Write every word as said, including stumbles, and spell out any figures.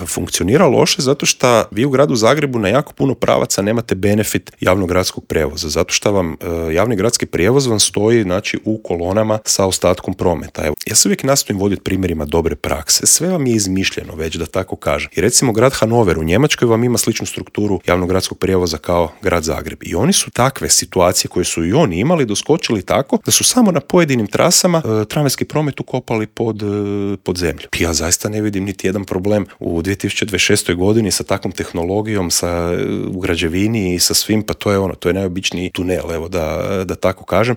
funkcionira loše zato što vi u gradu Zagrebu na jako puno pravaca nemate benefit javnog gradskog prijevoza, zato što vam e, javni gradski prijevoz vam stoji, znači, u kolonama sa ostatkom prometa. Evo, ja se uvijek nastojim voditi primjerima dobre prakse. Sve vam je izmišljeno već, da tako kažem. I recimo grad Hanover u Njemačkoj vam ima sličnu strukturu javnog gradskog prijevoza kao grad Zagreb. I oni su takve situacije koje su i oni imali doskočili tako da su samo na pojedinim trasama e, tramvajski promet ukopali pod, e, pod zemlju. Ja zaista ne vidim niti jedan problem u dvije tisuće dvadeset šestoj godini sa takvom tehnologijom, sa, u građevini i sa svim, pa to je ono, to je najobičniji tunel, evo da, da tako kažem.